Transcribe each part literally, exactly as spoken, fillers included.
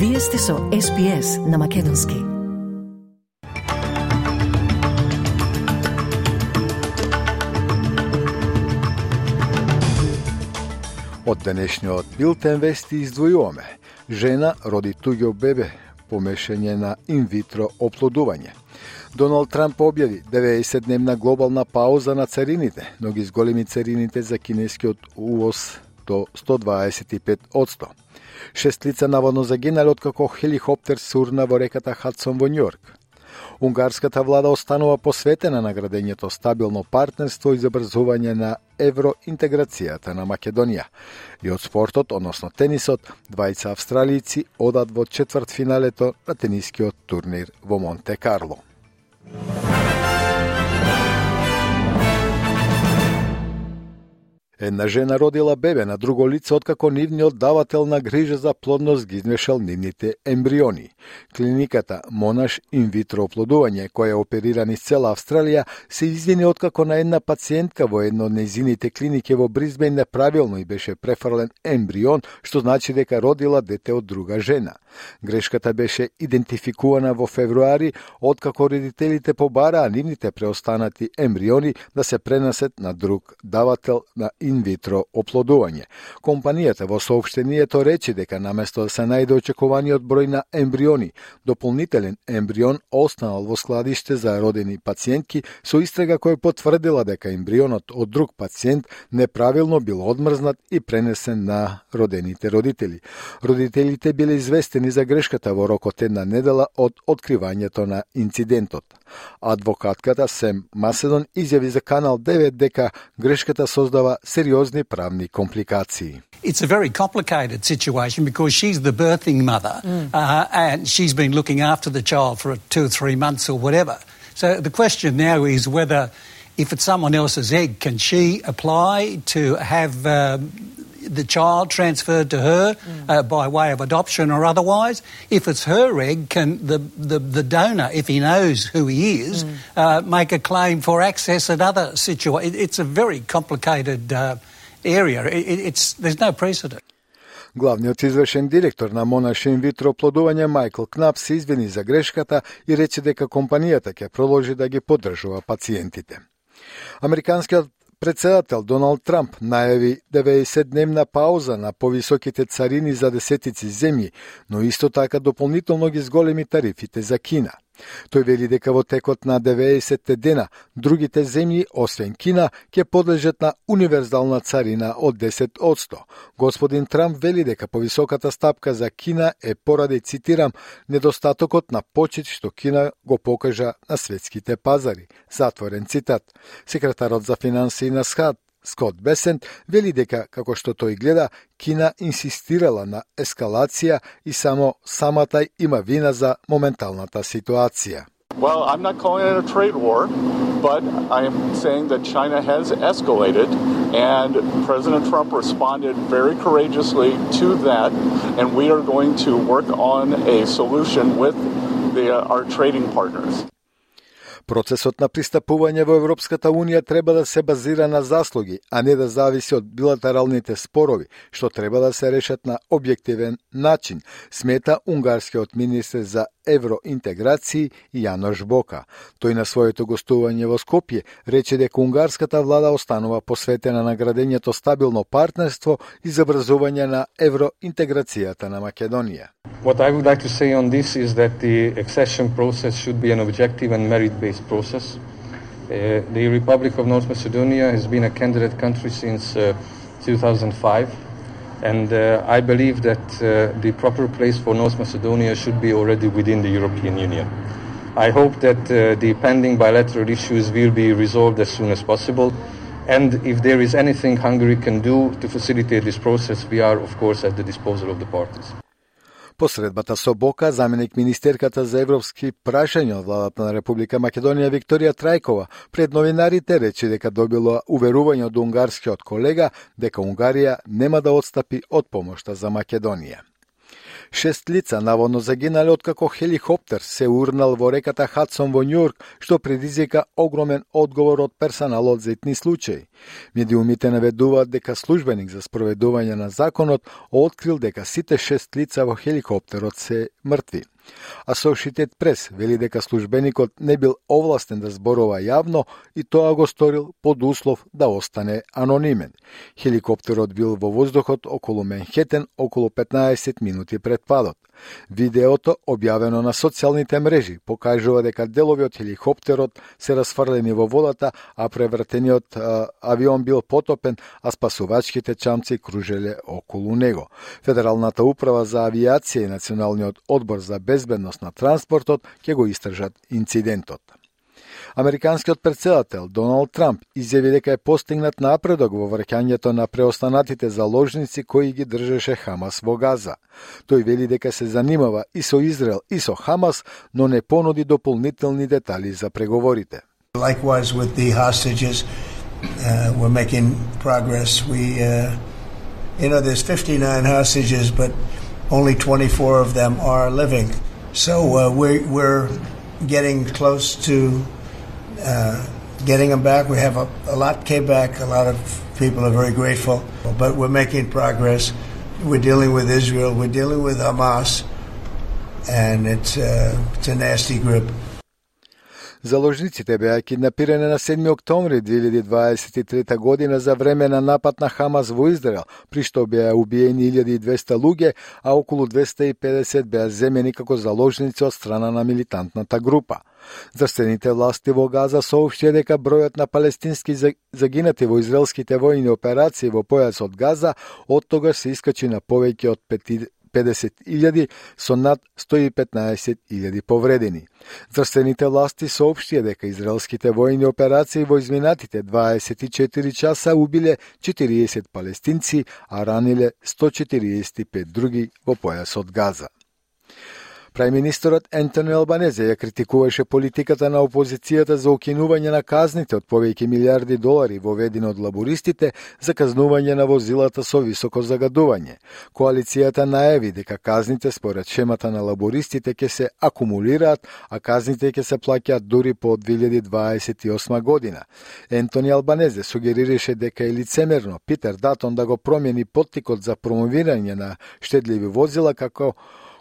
Вие сте со Ес Би Ес на македонски. Од денешниот билтен вести издвојуваме: жена роди туѓо бебе, помешање на инвитро оплодување. Доналд Трамп објави деветдесетдневна глобална пауза на царините, но ги зголеми царините за кинескиот увоз до сто дваесет и пет одсто. Шест лица наводно загинале откако хеликоптер сурна во реката Хадсон во Њујорк. Унгарската влада останува посветена на градењето стабилно партнерство и забрзување на евроинтеграцијата на Македонија. И од спортот, односно тенисот, двајца австралијци одат во четвртфиналето на тенискиот турнир во Монте Карло. Една жена родила бебе на друго лице откако нивниот давател на грижа за плодност ги измешал нивните ембриони. Клиниката Монаш инвитро оплодување, која оперира низ цела Австралија, се извини откако на една пациентка во едно од нејзините клиники во Брисбејн неправилно и беше префрлен ембрион, што значи дека родила дете од друга жена. Грешката беше идентификувана во февруари, откако родителите побараа нивните преостанати ембриони да се пренесат на друг давател на инвитро оплодување. Компанијата во соопштението рече дека наместо да се најде очекуваниот број на ембриони, дополнителен ембрион останал во складиште за родени пациентки со истрага која потврдила дека ембрионот од друг пациент неправилно бил одмрзнат и пренесен на родените родители. Родителите биле известени за грешката во рокот една недела од откривањето на инцидентот. Адвокатката Сем Маседон изјави за Канал девет дека грешката создава сериозни правни компликации. It's a very complicated situation because she's the birthing mother mm. uh, and she's been looking after the child for two or three months or whatever. So the question now is whether if it's someone else's egg, can she apply to have um, the child transferred to her mm. uh, by way of adoption or otherwise? If it's her egg, can the, the, the donor, if he knows who he is, mm. uh, make a claim for access at other situations? It's a very complicated uh, area. It, it's, there's no precedent. Главниот извршен директор на Монаш инвитро оплодување Майкл Кнап се извини за грешката и рече дека компанијата ќе продолжи да ги поддржува пациентите. Американскиот председател Доналд Трамп најави деветдесетдневна пауза на повисоките царини за десетици земји, но исто така дополнително ги зголеми тарифите за Кина. Тој вели дека во текот на деветдесетте дена другите земји, освен Кина, ќе подлежат на универзална царина од десет одсто. Господин Трамп вели дека повисоката стапка за Кина е поради, цитирам, недостатокот на почит што Кина го покажа на светските пазари. Затворен цитат. Секретарот за финансии на СХАД Скот Бесент вели дека, како што тој гледа, Кина инсистирала на ескалација и само самата има вина за моменталната ситуација. Well, I'm not calling it a trade war, but I am saying that China has escalated, and President Trump responded very courageously to that, and we are going to work on a solution with the, uh, our trading partners. Процесот на пристапување во Европската Унија треба да се базира на заслуги, а не да зависи од билатералните спорови, што треба да се решат на објективен начин, смета унгарскиот министер за евроинтеграција Јанош Бока. Тој на своето гостување во Скопје рече дека унгарската влада останува посветена на градењето стабилно партнерство и забрзување на евроинтеграцијата на Македонија. What I would like to say on this is that the accession process should be an objective and merit-based process. Uh, the Republic of North Macedonia has been a candidate country since uh, two thousand five, and uh, I believe that uh, the proper place for North Macedonia should be already within the European Union. I hope that uh, the pending bilateral issues will be resolved as soon as possible, and if there is anything Hungary can do to facilitate this process, we are, of course, at the disposal of the parties. По средбата со Бока, заменик министерката за европски прашања од владата на Република Македонија Викторија Трајкова пред новинарите рече дека добила уверување од унгарскиот колега дека Унгарија нема да отстапи од помошта за Македонија. Шест лица наводно загинале откако хеликоптер се урнал во реката Хадсон во Њујорк, што предизвика огромен одговор од персоналот за итни случаи. Медиумите наведуваат дека службеник за спроведување на законот открил дека сите шест лица во хеликоптерот се мртви. Associated Press вели дека службеникот не бил овластен да зборува јавно и тоа го сторил под услов да остане анонимен. Хеликоптерот бил во воздухот околу Менхетен околу петнаесет минути пред падот. Видеото, објавено на социјалните мрежи, покажува дека делови од хеликоптерот се расфрлени во водата, а превртениот а, авион бил потопен, а спасувачките чамци кружеле околу него. Федералната управа за авиација и Националниот одбор за безбедност на транспортот ќе го истражат инцидентот. Американскиот претседател Доналд Трамп изјави дека е постигнат напредок во враќањето на преостанатите заложници кои ги држеше Хамас во Газа. Тој вели дека се занимава и со Израел и со Хамас, но не понуди дополнителни детали за преговорите. Likewise with the hostages, uh, we're making progress. We, uh, you know, there's fifty-nine hostages, but only twenty-four of them are living. So uh, we're, we're getting close to uh, getting them back. We have a, a lot came back. A lot of people are very grateful, but we're making progress. We're dealing with Israel. We're dealing with Hamas, and it's, uh, it's a nasty group. Заложниците беа киднапирани на седми октомври две илјади дваесет и трета година за време на напад на Хамас во Израел, при што беа убиени илјада и двесте луѓе, а околу двесте и педесет беа земени како заложници од страна на милитантната група. Здравствените власти во Газа соопштија дека бројот на палестински загинати во израелските војни операции во појасот Газа од тогаш се искачи на повеќе од педесет илјади со над сто и петнаесет илјади повредени. Здравствените власти соопштија дека израелските војни операции во изминатите дваесет и четири часа убиле четириесет палестинци, а раниле сто четириесет и пет други во појасот Газа. Прајминистерот Ентони Албанезе ја критикуваше политиката на опозицијата за укинување на казните од повеќе милиарди долари воведени од лабористите за казнување на возилата со високо загадување. Коалицијата најави дека казните според шемата на лабористите ќе се акумулираат, а казните ќе се плаќаат дури по две илјади дваесет и осма година. Ентони Албанезе сугерираше дека е лицемерно Питер Датон да го промени поттикот за промовирање на штедливи возила како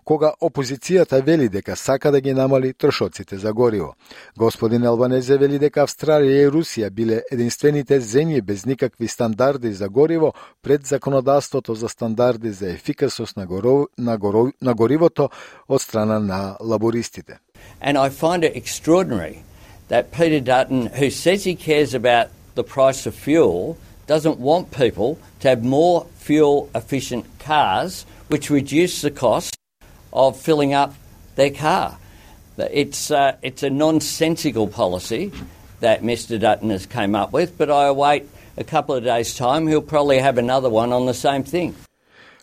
кога опозицијата вели дека сака да ги намали трошоците за гориво. Господин Албанезе вели дека Австралија и Русија биле единствените земји без никакви стандарди за гориво пред законодавството за стандарди за ефикасност на, горов, на, горов, на горивото од страна на лабористите. And I find it extraordinary that Peter Dutton, who says he cares about the price of fuel, doesn't want people to have more fuel-efficient cars, which reduce the cost of filling up their car. It's, uh, it's a nonsensical policy that Mister Dutton has came up with, but I await a couple of days' time, he'll probably have another one on the same thing.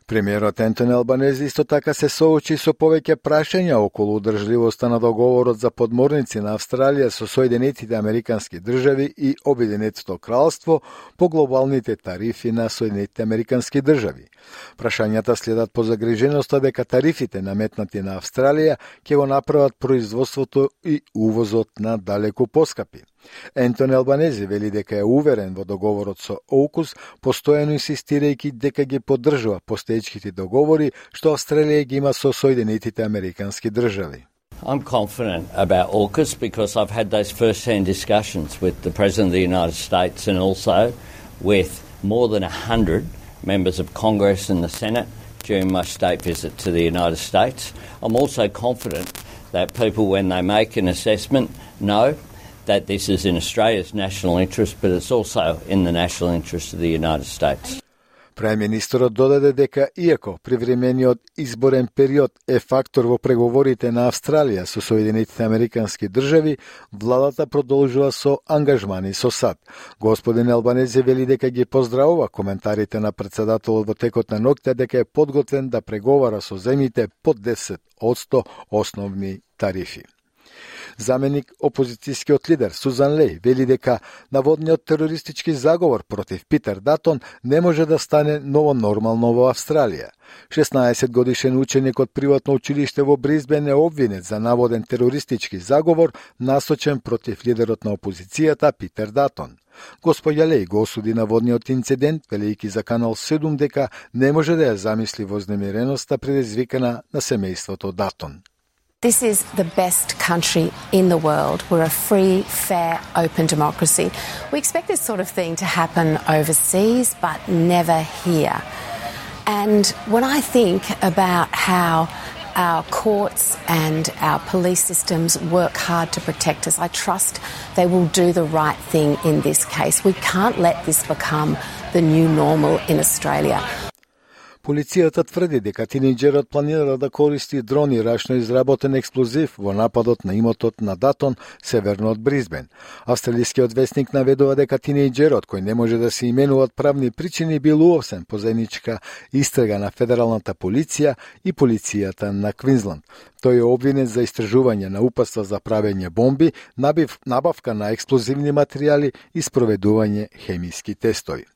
Премиерот Ентони Албанезе исто така се соочи со повеќе прашања околу одржливоста на договорот за подморници на Австралија со Соединетите Американски држави и Обединетото кралство по глобалните тарифи на Соединетите Американски држави. Прашањата следат по загриженоста дека тарифите наметнати на Австралија ќе го направат производството и увозот на далеку поскапи. Ентони Албанезе вели дека е уверен во договорот со ОУКУС, постојано инсистирајќи дека ги поддржува постоечките договори што Австралија ги има со Соединетите Американски држави. I'm confident about AUKUS because I've had those first-hand discussions with the President of the United States and also with more than one hundred members of Congress and the Senate during my state visit to the United States. I'm also confident that people, when they make an assessment, know that this is in Australia's national interest, but it's also in the national interest of the United States. Прајминистерот додаде дека, иако привремениот изборен период е фактор во преговорите на Австралија со Соединетите Американски држави, владата продолжува со ангажмани со САД. Господин Албанезе вели дека ги поздравува коментарите на претседателот во текот на ноќта дека е подготвен да преговара со земјите под десет одсто основни тарифи. Заменик опозицијскиот лидер Сузан Леј вели дека наводниот терористички заговор против Питер Датон не може да стане ново нормално во Австралија. шеснаесет годишен ученик од приватно училиште во Бризбен е обвинет за наводен терористички заговор насочен против лидерот на опозицијата Питер Датон. Господја Леј го осуди наводниот инцидент, велејќи за Канал седум дека не може да ја замисли вознемиреноста предизвикана на семејството Датон. This is the best country in the world. We're a free, fair, open democracy. We expect this sort of thing to happen overseas, but never here. And when I think about how our courts and our police systems work hard to protect us, I trust they will do the right thing in this case. We can't let this become the new normal in Australia. Полицијата тврди дека тинејџерот планира да користи дрон и рачно изработен експлозив во нападот на имотот на Датон, северно од Бризбен. Австралискиот вестник наведува дека тинејџерот, кој не може да се именува од правни причини, бил уовсен по заедничка истрага на федералната полиција и полицијата на Квинсланд. Тој е обвинет за истражување на упатства за правење бомби, набив, набавка на експлозивни материјали и спроведување хемиски тестови.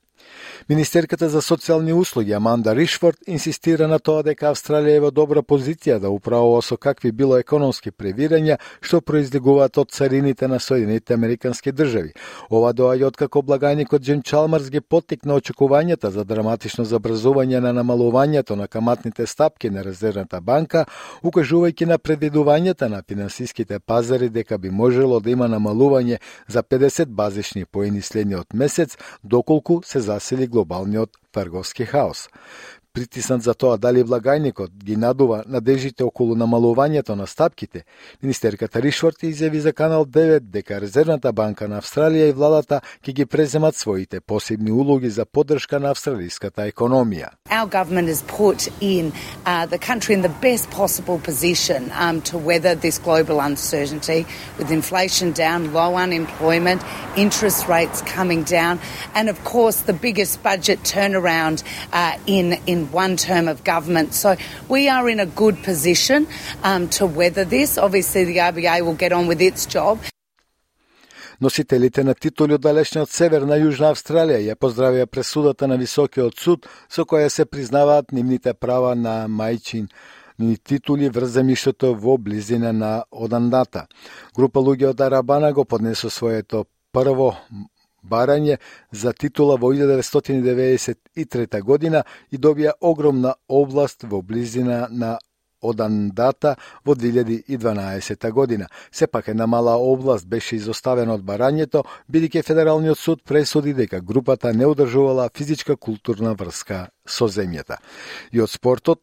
Министерката за социјални услуги Аманда Ришфорд инсистира на тоа дека Австралија е во добра позиција да управува со какви било економски превирања што произлегуваат од царините на Соединетите Американски држави. Ова доаѓа откако благајникот Джим Чалмарс ги поттикна очекувањата за драматично забрзување на намалувањето на каматните стапки на Резервната банка, укажувајќи на предвидувањата на финансиските пазари дека би можело да има намалување за педесет базични поени следниот месец, доколку се засили глобалниот трговски хаос. Притиснат за тоа дали влагајникот ги надува надежите околу намалувањето на стапките, министерката Ришфорд изјави за Канал девет дека Резервната банка на Австралија и владата ќе ги преземат своите посебни улоги за поддршка на австралиската економија. Our government has put in uh, the country in the best possible position um, to weather this global uncertainty, with inflation down, low unemployment, interest rates coming down, and of course the biggest budget turnaround uh, in in one term of government. So we are in a good position um, to weather this. Obviously the R B A will get on with its job. Носителите на титули од далечниот север на Јужна Австралија ја поздравија пресудата на Високиот суд со која се признаваат нивните права на мајчин ни титули врз земјиштето во близина на Одандата. Група луѓе од Арабана го поднесо своето прво барање за титула во илјада деветстотини деветдесет и трета година и добија огромна област во близина на Одандата во две илјади и дванаесета година. Сепак една мала област беше изоставена од барањето, бидејќи Федералниот суд пресуди дека групата не одржувала физичка културна врска со земјата. И од спортот,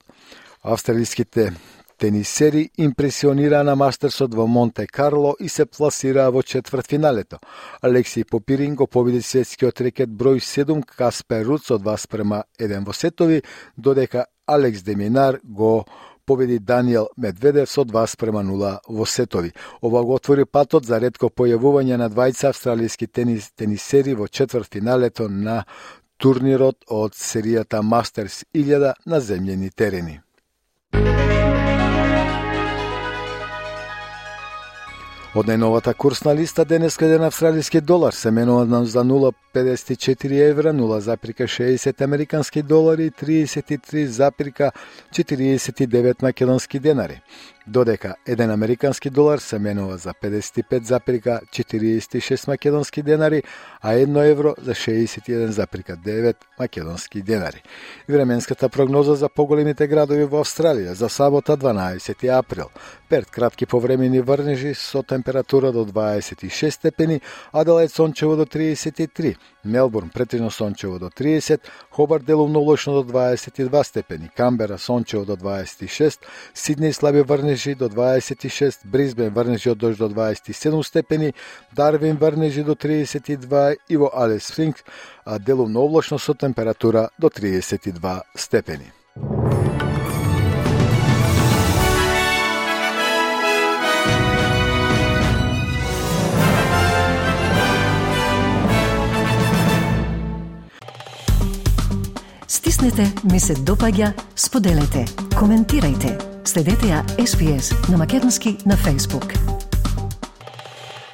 австралиските тенисери импресионираа на мастерсот во Монте Карло и се пласираа во четвртфиналето. Алексиј Попирин го победи светскиот рекет број седум Каспер Руд со два спрема еден во сетови, додека Алекс Деминар го победи Даниел Медведев со два спрема нула во сетови. Ова го отвори патот за ретко појавување на двајца австралиски тенис, тенисери во четвртфиналето на турнирот од серијата Мастерс илјада на земјени терени. Од најновата курсна листа денеска еден австралиски долар се менува за нула зарез педесет и четири евра, нула зарез шеесет американски долари и триесет и три зарез четириесет и девет македонски денари, додека еден американски долар се менува за педесет и пет зарез четириесет и шест македонски денари, а едно евро за шеесет и еден зарез девет македонски денари. Временската прогноза за поголемите градови во Австралија за сабота дванаесети април. Перт кратки повремени врнежи со температура до дваесет и шест степени, Аделаид сончево до триесет и три, Мелбурн претежно сончево до триесет, Хобарт делумно облачно до дваесет и два степени, Камбера сончево до дваесет и шест, Сиднеј слаби врнежи до дваесет и шест, Бризбен врнежи од дожд до дваесет и седум степени, Дарвин врнежи до триесет и два и во Алис Спрингс делумно облачно со температура до триесет и два степени. Стиснете, ми се допаѓа, споделете, коментирајте. Следете ја Ес Би Ес на македонски на Facebook.